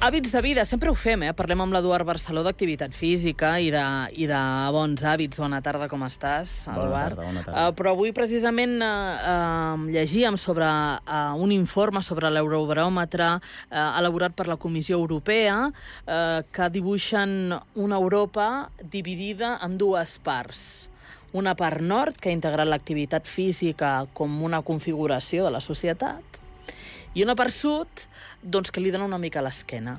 Hàbits de vida, sempre ho fem, Parlem amb l'Eduard Barceló d'activitat física i de bons hàbits. Bona tarda, com estàs, Eduard? Bona tarda. Però avui, precisament, llegíem sobre un informe sobre l'eurobaròmetre elaborat per la Comissió Europea que dibuixen una Europa dividida en dues parts. Una part nord, que ha integrat l'activitat física com una configuració de la societat, i una part sud, doncs, que li dona una mica a l'esquena.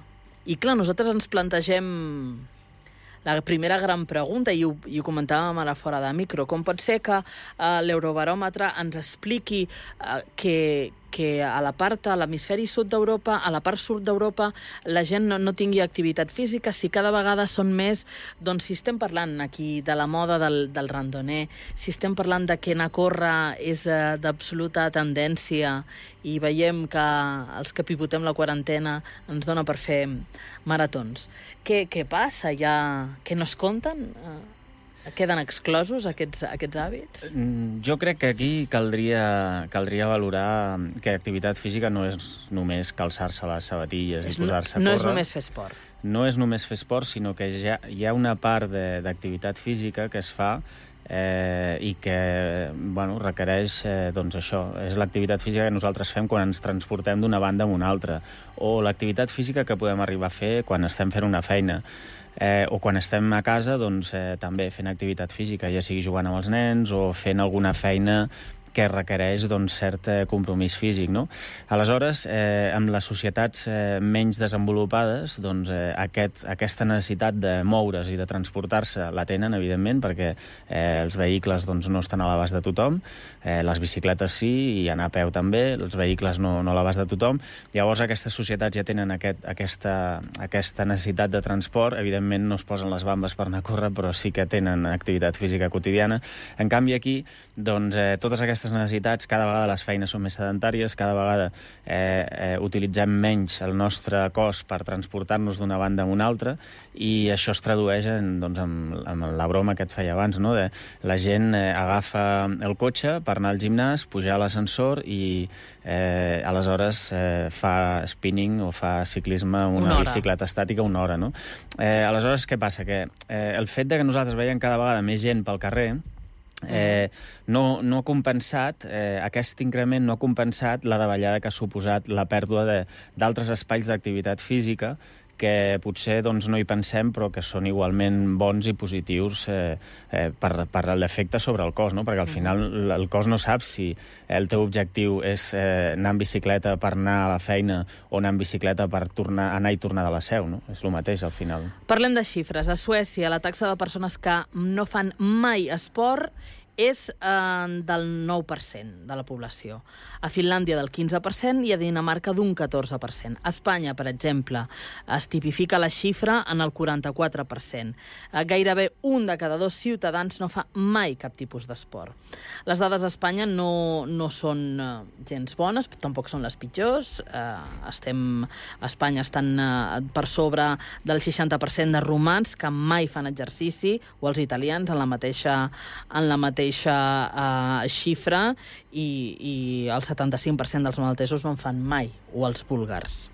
I clar, nosaltres ens plantegem la primera gran pregunta, i ho comentàvem ara fora de micro, com pot ser que l'eurobaròmetre ens expliqui que a l'hemisferi sud d'Europa, a la part sud d'Europa, la gent no tingui activitat física, si cada vegada són més, doncs si estem parlant aquí de la moda del randoner, si estem parlant de que anar a córrer és d'absoluta tendència i veiem que els que pivotem la quarantena ens dona per fer maratons. Què passa? Que no es compten? Queden exclosos aquests hàbits? Jo crec que aquí caldria valorar que activitat física no és només calçar-se les sabatilles i posar-se a córrer. No és només fer esport. No és només fer esport, sinó que hi ha una part d'activitat física que es fa i que requereix això. És l'activitat física que nosaltres fem quan ens transportem d'una banda a una altra, o l'activitat física que podem arribar a fer quan estem fent una feina. O quan estem a casa, també fent activitat física, ja sigui jugant amb els nens o fent alguna feina que requereix cert compromís físic, no? Aleshores, amb les societats menys desenvolupades, aquesta necessitat de moure's i de transportar-se la tenen, evidentment, perquè els vehicles no estan a l'abast de tothom, les bicicletes sí, i anar a peu també, els vehicles no a l'abast de tothom. Llavors, aquestes societats ja tenen aquesta necessitat de transport. Evidentment, no es posen les bambes per anar a córrer, però sí que tenen activitat física quotidiana. En canvi, aquí, totes aquestes necessitats, cada vegada les feines són més sedentàries, cada vegada utilitzem menys el nostre cos per transportar-nos d'una banda a una altra, i això es tradueix en la broma que et feia abans, no? La gent agafa el cotxe per anar al gimnàs, pujar a l'ascensor i aleshores fa spinning o fa ciclisme amb una bicicleta estàtica una hora, no? Aleshores, què passa? Que el fet de que nosaltres veiem cada vegada més gent pel carrer no ha compensat, aquest increment no ha compensat la davallada que ha suposat la pèrdua d'altres espais d'activitat física que potser no hi pensem, però que són igualment bons i positius per l'efecte sobre el cos, no? Perquè al final el cos no sap si el teu objectiu és anar en bicicleta per anar a la feina o anar en bicicleta per anar i tornar de la seu, no? És el mateix, al final. Parlem de xifres. A Suècia, la taxa de persones que no fan mai esport és del 9% de la població. A Finlàndia del 15% i a Dinamarca d'un 14%. A Espanya, per exemple, es tipifica la xifra en el 44%. Gairebé un de cada dos ciutadans no fa mai cap tipus d'esport. Les dades a Espanya no són gens bones, però tampoc són les pitjors. A Espanya estan per sobre del 60% de romans que mai fan exercici, o els italians en la mateixa xifra, i el 75% dels maltesos no en fan mai, o els búlgars.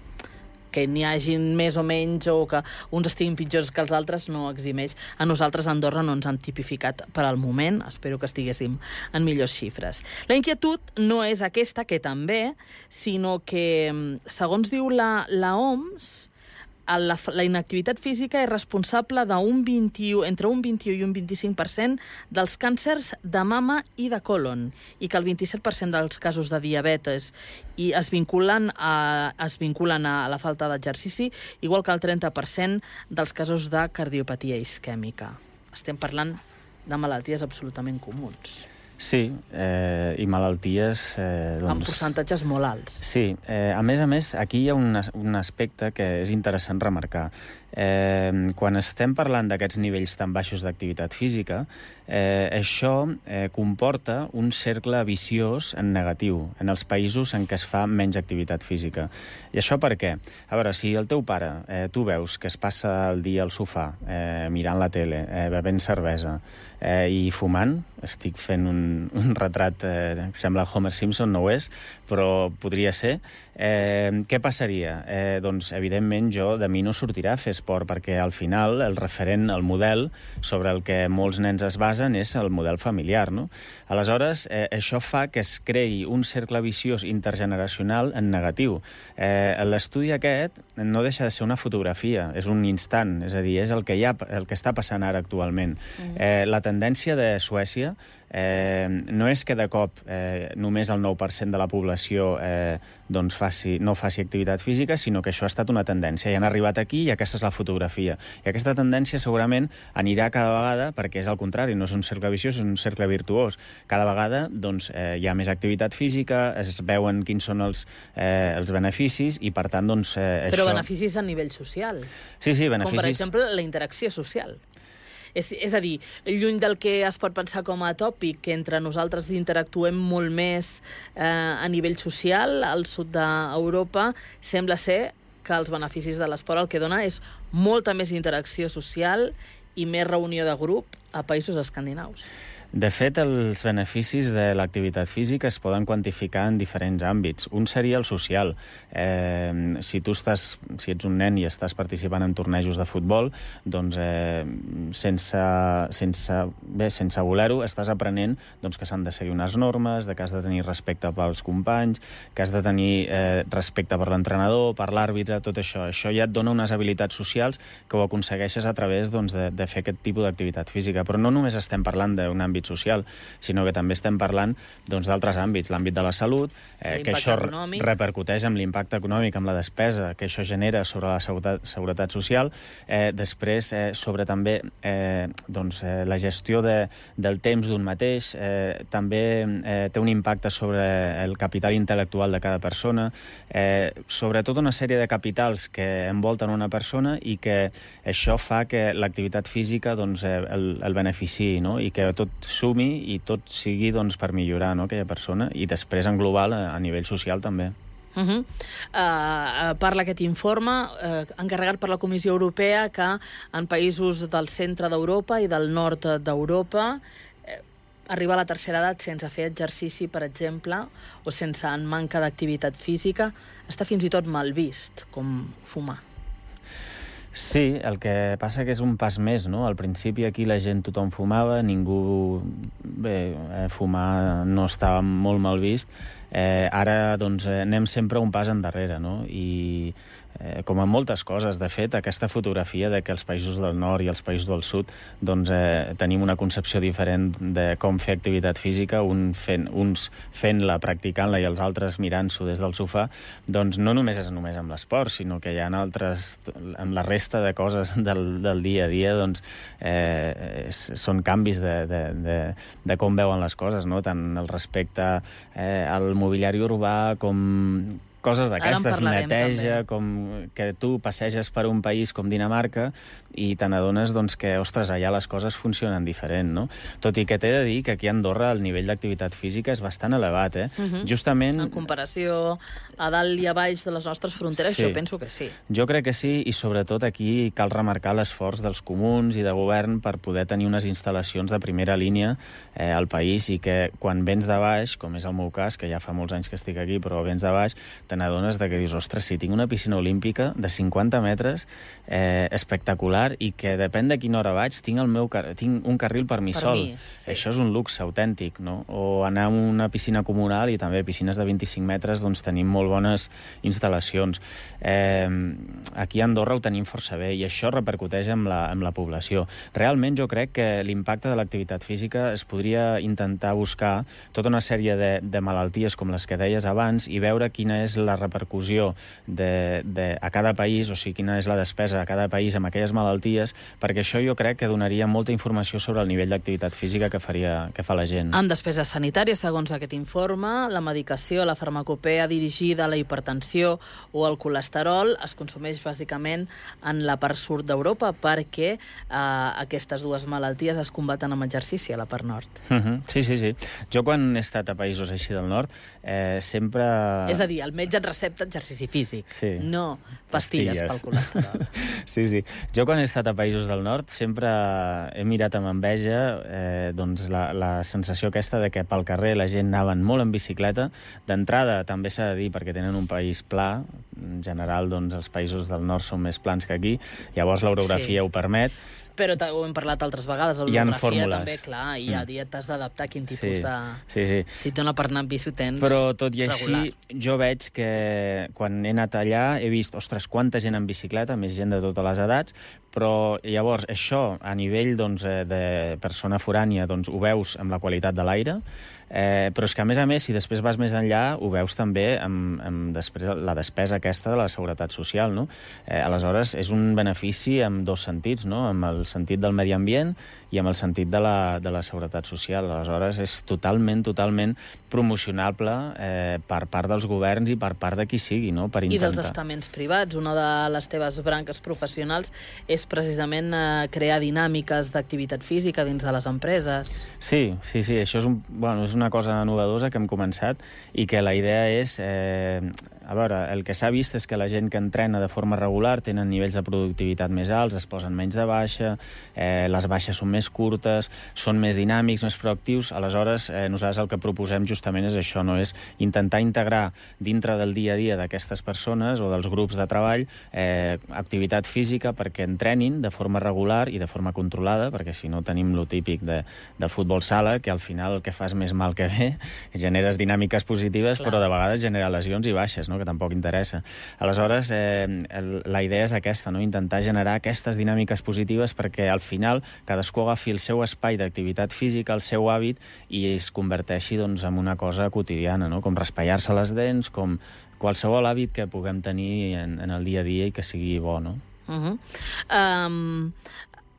Que n'hi hagin més o menys, o que uns estiguin pitjors que els altres, no eximeix. A nosaltres a Andorra no ens han tipificat per al moment, espero que estiguéssim en millors xifres. La inquietud no és aquesta, que també, sinó que, segons diu la OMS, la inactivitat física és responsable entre un 21 i un 25% dels càncers de mama i de còlon, i que el 27% dels casos de diabetes es vinculen a la falta d'exercici, igual que el 30% dels casos de cardiopatia isquèmica. Estem parlant de malalties absolutament comuns. Sí, i malalties... amb percentatges molt alts. Sí, a més, aquí hi ha un aspecte que és interessant remarcar. Quan estem parlant d'aquests nivells tan baixos d'activitat física, això comporta un cercle viciós en negatiu en els països en què es fa menys activitat física. I això per què? A veure, si el teu pare, tu veus que es passa el dia al sofà, mirant la tele, bevent cervesa i fumant, estic fent un un retrat que sembla Homer Simpson, no ho és, però podria ser. Què passaria? Doncs, evidentment, de mi no sortirà a fer esport, perquè al final el referent, el model sobre el que molts nens es basen és el model familiar, no? Aleshores, això fa que es creï un cercle viciós intergeneracional en negatiu. L'estudi aquest no deixa de ser una fotografia, és un instant, és a dir, és el que està passant ara actualment. La tendència de Suècia no és que de cop només el 9% de la població no faci activitat física, sinó que això ha estat una tendència. I han arribat aquí i aquesta és la fotografia. I aquesta tendència segurament anirà cada vegada, perquè és al contrari, no és un cercle viciós, és un cercle virtuós. Cada vegada hi ha més activitat física, es veuen quins són els beneficis i, per tant, això... Però beneficis a nivell social. Sí, beneficis... Com, per exemple, la interacció social. És a dir, lluny del que es pot pensar com a tòpic, que entre nosaltres interactuem molt més a nivell social, al sud d'Europa sembla ser que els beneficis de l'esport el que dona és molta més interacció social i més reunió de grup a països escandinaus. De fet, els beneficis de l'activitat física es poden quantificar en diferents àmbits. Un seria el social. Si ets un nen i estàs participant en tornejos de futbol, doncs sense voler-ho, estàs aprenent que s'han de seguir unes normes, que has de tenir respecte pels companys, que has de tenir respecte per l'entrenador, per l'àrbitre, tot això. Això ja et dona unes habilitats socials que ho aconsegueixes a través de fer aquest tipus d'activitat física. Però no només estem parlant d'un àmbit social, sinó que també estem parlant d'altres àmbits, l'àmbit de la salut, que això repercuteix amb l'impacte econòmic, amb la despesa que això genera sobre la seguretat social, després sobre també la gestió del temps d'un mateix, també té un impacte sobre el capital intel·lectual de cada persona, sobre tota una sèrie de capitals que envolten una persona i que això fa que l'activitat física el beneficiï, no? I que tot sumi i tot sigui per millorar aquella persona i després en global a nivell social també. Parla aquest informe encarregat per la Comissió Europea que en països del centre d'Europa i del nord d'Europa arribar a la tercera edat sense fer exercici, per exemple, o sense en manca d'activitat física, està fins i tot mal vist, com fumar. Sí, el que passa que és un pas més, no? Al principi aquí la gent, tothom fumava, fumar no estava molt mal vist. Ara, anem sempre un pas endarrere, no? I com en moltes coses, de fet, aquesta fotografia de que els països del nord i els països del sud tenim una concepció diferent de com fer activitat física, uns fent-la, practicant-la i els altres mirant-s'ho des del sofà, no només és només amb l'esport, sinó que hi ha altres, amb la resta de coses del dia a dia, són canvis de com veuen les coses, no? Tant el respecte al mobiliari urbà com coses d'aquestes, neteja, com que tu passeges per un país com Dinamarca i te n'adones que, ostres, allà les coses funcionen diferent, no? Tot i que t'he de dir que aquí a Andorra el nivell d'activitat física és bastant elevat, Justament... En comparació a dalt i a baix de les nostres fronteres, jo penso que sí. Jo crec que sí, i sobretot aquí cal remarcar l'esforç dels comuns i de govern per poder tenir unes instal·lacions de primera línia al país i que quan vens de baix, com és el meu cas, que ja fa molts anys que estic aquí, però vens de baix, te n'adones que dius, ostres, si tinc una piscina olímpica de 50 metres espectacular i que depèn de quina hora vaig, tinc un carril per mi sol. Sí. Això és un luxe autèntic, no? O anar a una piscina comunal i també piscines de 25 metres, tenim molt bones instal·lacions. Aquí a Andorra ho tenim força bé i això repercuteix amb la població. Realment jo crec que l'impacte de l'activitat física es podria intentar buscar tota una sèrie de malalties com les que deies abans i veure quina és la repercussió a cada país, o sigui, quina és la despesa a cada país amb aquelles malalties, perquè això jo crec que donaria molta informació sobre el nivell d'activitat física que fa la gent. En despeses sanitàries, segons aquest informe, la medicació, la farmacopea dirigida a la hipertensió o al colesterol es consumeix bàsicament en la part sud d'Europa perquè aquestes dues malalties es combaten amb exercici a la part nord. Sí. Jo quan he estat a països així del nord sempre... És a dir, el metge et recepta exercici físic, sí. no pastilles pel colesterol. Sí. Jo quan he estat a països del nord sempre he mirat amb enveja doncs la sensació aquesta de que pel carrer la gent anaven molt en bicicleta. D'entrada també s'ha de dir perquè tenen un país pla, en general doncs els països del nord són més plans que aquí, llavors l'orografia ho permet. Però ho hem parlat altres vegades, l'orografia també, clar, i ja t'has d'adaptar a quin tipus de... Sí. Si et dona per anar amb bici ho tens Però tot i així, regular. jo veig que quan he anat allà he vist, ostres, quanta gent en bicicleta, més gent de totes les edats, però llavors això, a nivell doncs, de persona forània, doncs, ho veus amb la qualitat de l'aire, però és que, a més, si després vas més enllà, ho veus també amb després la despesa aquesta de la seguretat social, no? Aleshores, és un benefici en dos sentits, no? Amb el sentit del medi ambient i amb el sentit de la seguretat social. Aleshores, és totalment promocionable per part dels governs i per part de qui sigui, no? Per intentar. I dels estaments privats. Una de les teves branques professionals és precisament crear dinàmiques d'activitat física dins de les empreses. Sí, això és una cosa novedosa que hem començat i que la idea és... A veure, el que s'ha vist és que la gent que entrena de forma regular tenen nivells de productivitat més alts, es posen menys de baixa, les baixes són més curtes, són més dinàmics, més proactius. Aleshores, nosaltres el que proposem justament és això, no? És intentar integrar dintre del dia a dia d'aquestes persones o dels grups de treball activitat física perquè entrenin de forma regular i de forma controlada, perquè si no tenim lo típic de futbol sala, que al final el que fa és més mal que bé, generes dinàmiques positives, però de vegades genera lesions i baixes, no? Que tampoc interessa. Aleshores, la idea és aquesta, no? Intentar generar aquestes dinàmiques positives perquè al final cadascú agafi el seu espai d'activitat física, el seu hàbit, i es converteixi doncs, en una cosa quotidiana, no? Com raspallar-se les dents, com qualsevol hàbit que puguem tenir en el dia a dia i que sigui bo, no?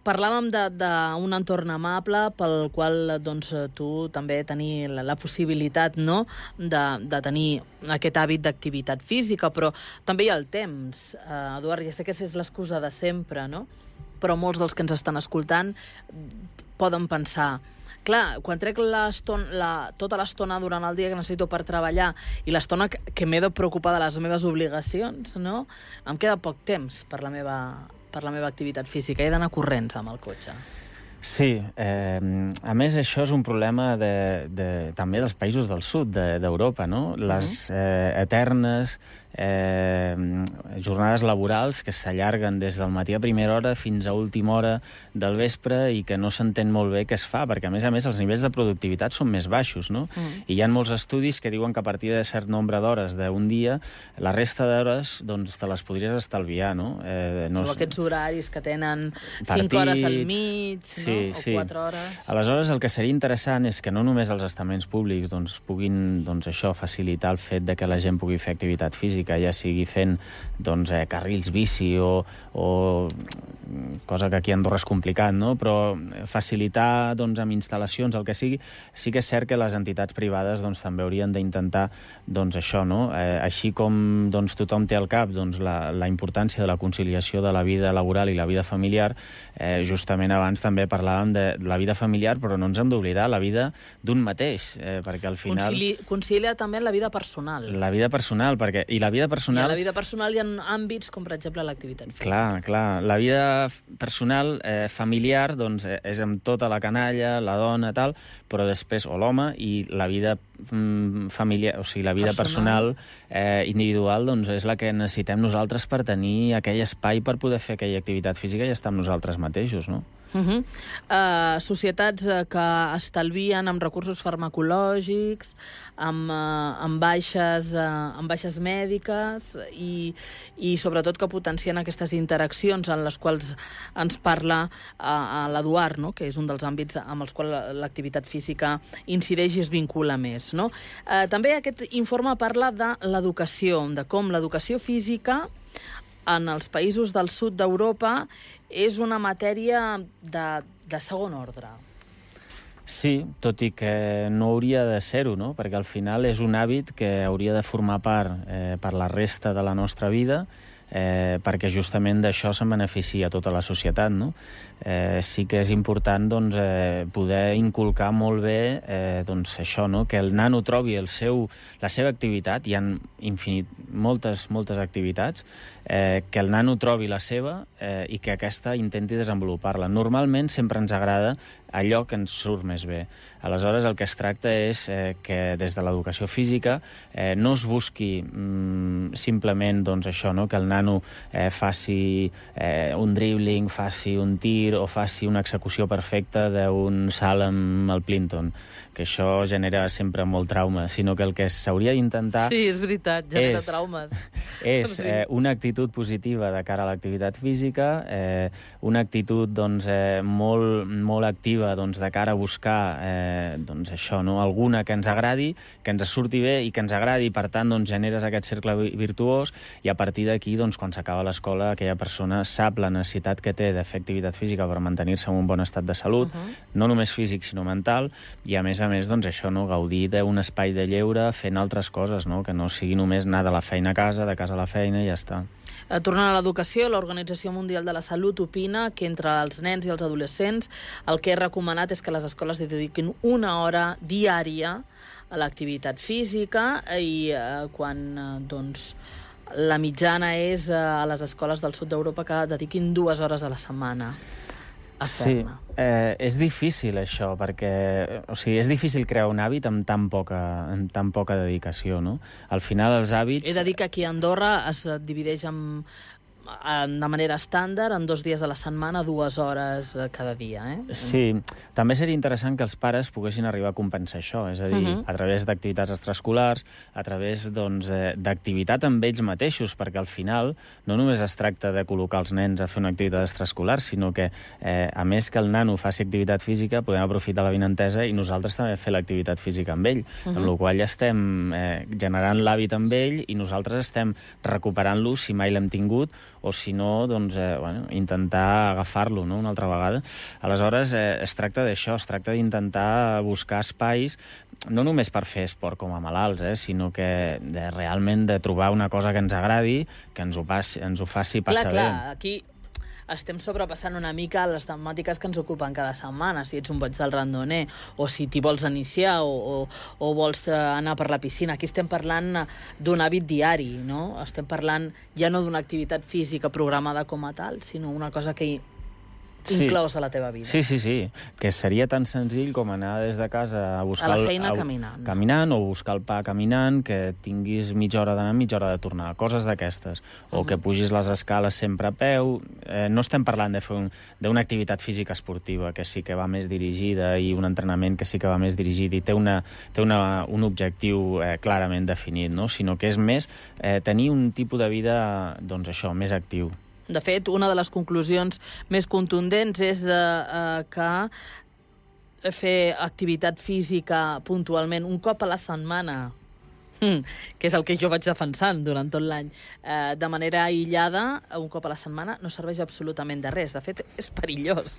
Parlàvem d'un entorn amable pel qual doncs, tu també tenir la possibilitat, no?, de tenir aquest hàbit d'activitat física, però també hi ha el temps. Eduard, ja sé que és l'excusa de sempre, no?, però molts dels que ens estan escoltant poden pensar: clar, quan trec tota l'estona durant el dia que necessito per treballar i l'estona que m'he de preocupar de les meves obligacions, no?, em queda poc temps per la meva activitat física. He d'anar corrents amb el cotxe. Sí, a més això és un problema també dels països del sud d'Europa, no? Les eternes jornades laborals que s'allarguen des del matí a primera hora fins a última hora del vespre i que no s'entén molt bé què es fa, perquè a més els nivells de productivitat són més baixos, no? I hi ha molts estudis que diuen que a partir de cert nombre d'hores d'un dia, la resta d'hores doncs, te les podries estalviar, no? O aquests horaris que tenen 5 hores al mig, no? O 4 hores. Aleshores, el que seria interessant és que no només els estaments públics doncs, puguin això facilitar el fet de que la gent pugui fer activitat física, ja sigui fent doncs, carrils bici o cosa que aquí a Andorra és complicat, no? Però facilitar doncs, amb instal·lacions, el que sigui, sí que és cert que les entitats privades doncs, també haurien d'intentar doncs, això, no? Així com doncs, tothom té al cap doncs, la importància de la conciliació de la vida laboral i la vida familiar, justament abans també parlàvem de la vida familiar, però no ens hem d'oblidar la vida d'un mateix, perquè al final... Concilia també la vida personal. La vida personal, perquè... I la vida personal... I a la vida personal hi ha àmbits com, per exemple, l'activitat física. Clar. La vida personal, familiar, doncs, és amb tota la canalla, la dona, tal, però després, o l'home, i la vida familiar, o sigui, la vida personal individual, doncs, és la que necessitem nosaltres per tenir aquell espai per poder fer aquella activitat física i estar amb nosaltres mateixos, no? Societats que estalvien amb recursos farmacològics, amb baixes mèdiques i sobretot que potencien aquestes interaccions en les quals ens parla l'Eduard, no?, que és un dels àmbits amb els quals l'activitat física incideix i es vincula més, no? També aquest informe parla de l'educació, de com l'educació física en els països del sud d'Europa és una matèria de segon ordre. Sí, tot i que no hauria de ser-ho, no? Perquè al final és un hàbit que hauria de formar part per la resta de la nostra vida, perquè justament d'això se'n beneficia tota la societat, no? Sí que és important doncs, poder inculcar molt bé doncs, això, no? Que el nano trobi la seva activitat, hi ha moltes activitats, que el nano trobi la seva i que aquesta intenti desenvolupar-la. Normalment sempre ens agrada allò que ens surt més bé. Aleshores, el que es tracta és que des de l'educació física no es busqui simplement doncs, això, no? Que el nano faci un dribbling, faci un tir o faci una execució perfecta d'un salt amb el Plinton, que això genera sempre molt trauma, sinó que el que s'hauria d'intentar... Sí, és veritat, genera traumes. És una actitud positiva de cara a l'activitat física, una actitud doncs, molt activa doncs, de cara a buscar doncs, això, no? Alguna que ens agradi, que ens surti bé i que ens agradi, i per tant doncs, generes aquest cercle virtuós, i a partir d'aquí, doncs, quan s'acaba l'escola, aquella persona sap la necessitat que té de fer activitat física per mantenir-se en un bon estat de salut, no només físic sinó mental, i a més, doncs, això, no? Gaudir d'un espai de lleure fent altres coses, no? Que no sigui només anar de la feina a casa, de casa a la feina i ja està. Tornant a l'educació, l'Organització Mundial de la Salut opina que entre els nens i els adolescents el que és recomanat és que les escoles dediquin 1 hora diària a l'activitat física, i quan doncs, la mitjana és a les escoles del sud d'Europa que dediquin 2 hores a la setmana. Sí, és difícil això, perquè és difícil crear un hàbit amb tan poca dedicació, no? Al final els hàbits... És a dir, que aquí a Andorra es divideix de manera estàndard en 2 dies a la setmana, 2 hores cada dia, Sí, també seria interessant que els pares poguessin arribar a compensar això, és a dir, a través d'activitats extraescolars, a través d'activitat amb ells mateixos, perquè al final no només es tracta de col·locar els nens a fer una activitat extraescolar, sinó que, a més que el nano faci activitat física, podem aprofitar l'avinentesa i nosaltres també fer l'activitat física amb ell, amb la qual ja estem generant l'hàbit amb ell i nosaltres estem recuperant-lo si mai l'hem tingut, o si no, doncs, intentar agafar-lo, no?, una altra vegada. Aleshores, es tracta d'això, es tracta d'intentar buscar espais, no només per fer esport com a malalts, sinó que realment de trobar una cosa que ens agradi, que ens ho faci passar bé. Clar, aquí estem sobrepassant una mica les temàtiques que ens ocupen cada setmana, si ets un boig del randoner, o si t'hi vols iniciar, o vols anar per la piscina. Aquí estem parlant d'un hàbit diari, no? Estem parlant ja no d'una activitat física programada com a tal, sinó una cosa que inclous a la teva vida. Sí, que seria tan senzill com anar des de casa a buscar... A la feina caminant. Caminant, o buscar el pa caminant, que tinguis mitja hora d'anar, mitja hora de tornar, coses d'aquestes. O que pugis les escales sempre a peu. No estem parlant de fer d'una activitat física esportiva, que sí que va més dirigida, i un entrenament que sí que va més dirigit, i té un objectiu clarament definit, no? Sinó que és més tenir un tipus de vida, doncs això, més actiu. De fet, una de les conclusions més contundents és que fer activitat física puntualment un cop a la setmana, que és el que jo vaig defensant durant tot l'any, de manera aïllada, un cop a la setmana, no serveix absolutament de res. De fet, és perillós.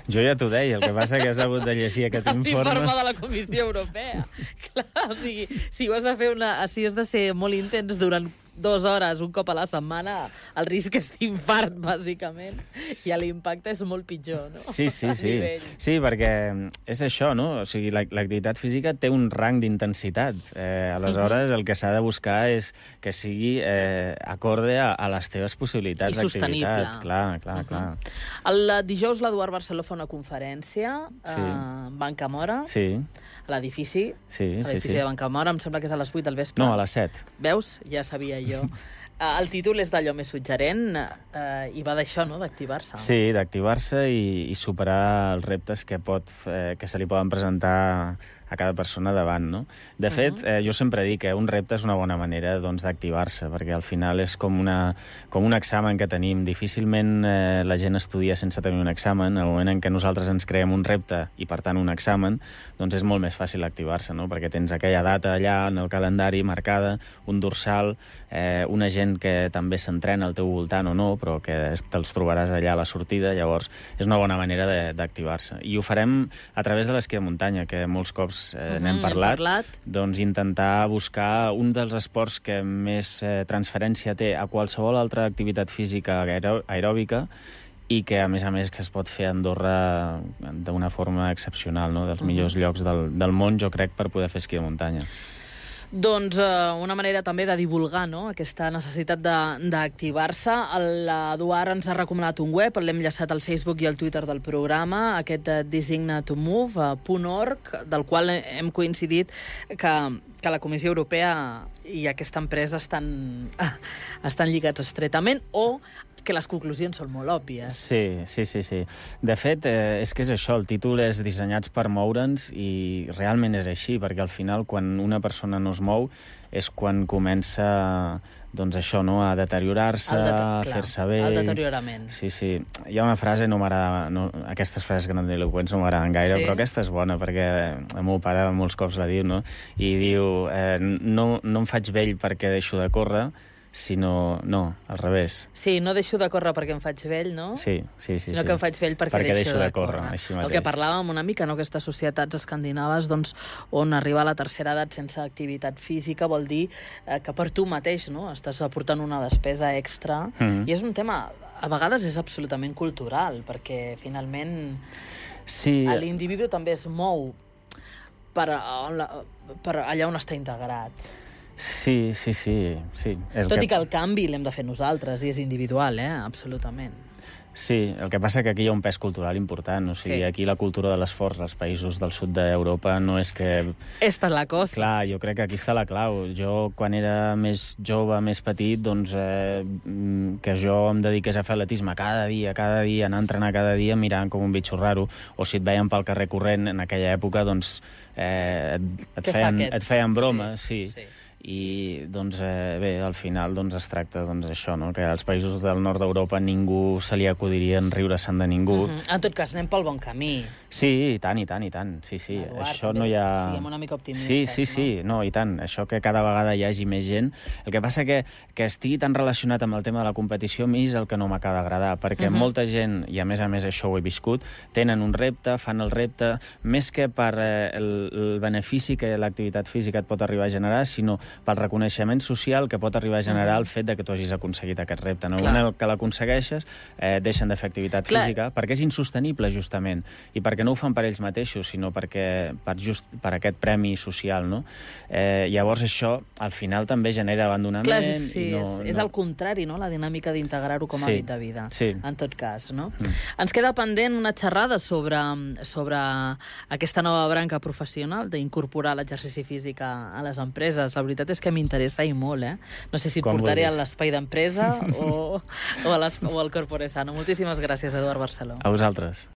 Jo ja t'ho deia, el que passa que has hagut de llegir aquest informe. L'informe de la Comissió Europea. Clar, o sigui, si has de ser molt intens durant 2 hores un cop a la setmana, el risc és d'infart, bàsicament, i l'impacte és molt pitjor, no? Sí. Sí, perquè és això, no? O sigui, l'activitat física té un rang d'intensitat. Aleshores, el que s'ha de buscar és que sigui acorde a les teves possibilitats d'activitat. I sostenible. Clar. El dijous l'Eduard Barceló fa una conferència a Banca Mora, a l'edifici de Banca Mora, em sembla que és a les 8 del vespre. No, a les 7. Veus? Ja sabia jo. El títol és d'allò més suggerent i va d'això, no?, d'activar-se. Sí, d'activar-se i superar els reptes que se li poden presentar a cada persona davant, no? De fet, jo sempre dic que un repte és una bona manera d'activar-se, perquè al final és com un examen que tenim. Difícilment la gent estudia sense tenir un examen. El moment en què nosaltres ens creem un repte i, per tant, un examen, doncs és molt més fàcil activar-se, no? Perquè tens aquella data allà en el calendari marcada, un dorsal, una gent que també s'entrena al teu voltant o no, però que te'ls trobaràs allà a la sortida. Llavors, és una bona manera d'activar-se. I ho farem a través de l'esquí de muntanya, que molts cops esports n'hem parlat, doncs intentar buscar un dels esports que més transferència té a qualsevol altra activitat física aeròbica i que, a més, que es pot fer a Andorra d'una forma excepcional, no? Dels millors llocs del món, jo crec, per poder fer esquí de muntanya. Doncs una manera també de divulgar, no?, aquesta necessitat d'activar-se. L'Eduard ens ha recomanat un web, l'hem enllaçat al Facebook i al Twitter del programa, aquest designtomove.org, del qual hem coincidit que la Comissió Europea i aquesta empresa estan lligats estretament, o que les conclusions són molt òbvies. Sí. De fet, és que és això, el títol és Dissenyats per moure'ns i realment és així, perquè al final quan una persona no es mou és quan comença, doncs això, no?, a deteriorar-se, a fer-se vell... El deteriorament. Sí. Hi ha una frase, no m'agrada... Aquestes frases grandiloqüents no m'agraden gaire, però aquesta és bona, perquè el meu pare molts cops la diu, no? I diu, no em faig vell perquè deixo de córrer, sinó, no, al revés. Sí, no deixo de córrer perquè em faig vell, no? Sí. Sinó que em faig vell perquè deixo de córrer. Així mateix. El que parlàvem una mica, no?, aquestes societats escandinaves, doncs, on arribar a la tercera edat sense activitat física vol dir que per tu mateix, no?, estàs aportant una despesa extra, i és un tema, a vegades és absolutament cultural, perquè finalment l'individu també es mou per allà on està integrat. Sí. Tot i que el canvi l'hem de fer nosaltres, i és individual, absolutament. Sí, el que passa que aquí hi ha un pes cultural important, o sigui, aquí la cultura de l'esforç als països del sud d'Europa no és que... Esta és la cosa. Clar, jo crec que aquí està la clau. Jo, quan era més jove, més petit, doncs, que jo em dediqués a fer atletisme cada dia, anar a entrenar cada dia mirant com un bitxo raro, o si et veien pel carrer corrent en aquella època, doncs et feien broma, sí. I, doncs, bé, al final doncs, es tracta això, no?, que als països del nord d'Europa ningú se li acudiria en riure-se'n de ningú. En tot cas, anem pel bon camí. Sí, i tant. Sí. Eduard, això no hi ha... Siguem una mica optimistes, sí, no, i tant. Això que cada vegada hi hagi més gent. El que passa que estigui tan relacionat amb el tema de la competició, a mi és el que no m'acaba d'agradar, perquè molta gent, i a més això ho he viscut, tenen un repte, fan el repte, més que per el benefici que l'activitat física et pot arribar a generar, sinó pel reconeixement social que pot arribar a generar el fet de que tu hagis aconseguit aquest repte. En el moment que l'aconsegueixes, deixen de fer activitat física, perquè és insostenible, justament, i perquè no ho fan per ells mateixos, sinó per aquest premi social, no? Llavors això, al final, també genera abandonament. Clar, sí, és el contrari, no?, la dinàmica d'integrar-ho com a hàbit de vida, en tot cas, no? Ens queda pendent una xerrada sobre aquesta nova branca professional d'incorporar l'exercici físic a les empreses. La veritat és que m'interessa i molt, No sé si et portaré a l'espai d'empresa o al Corpore Sano. Moltíssimes gràcies, Eduard Barceló. A vosaltres.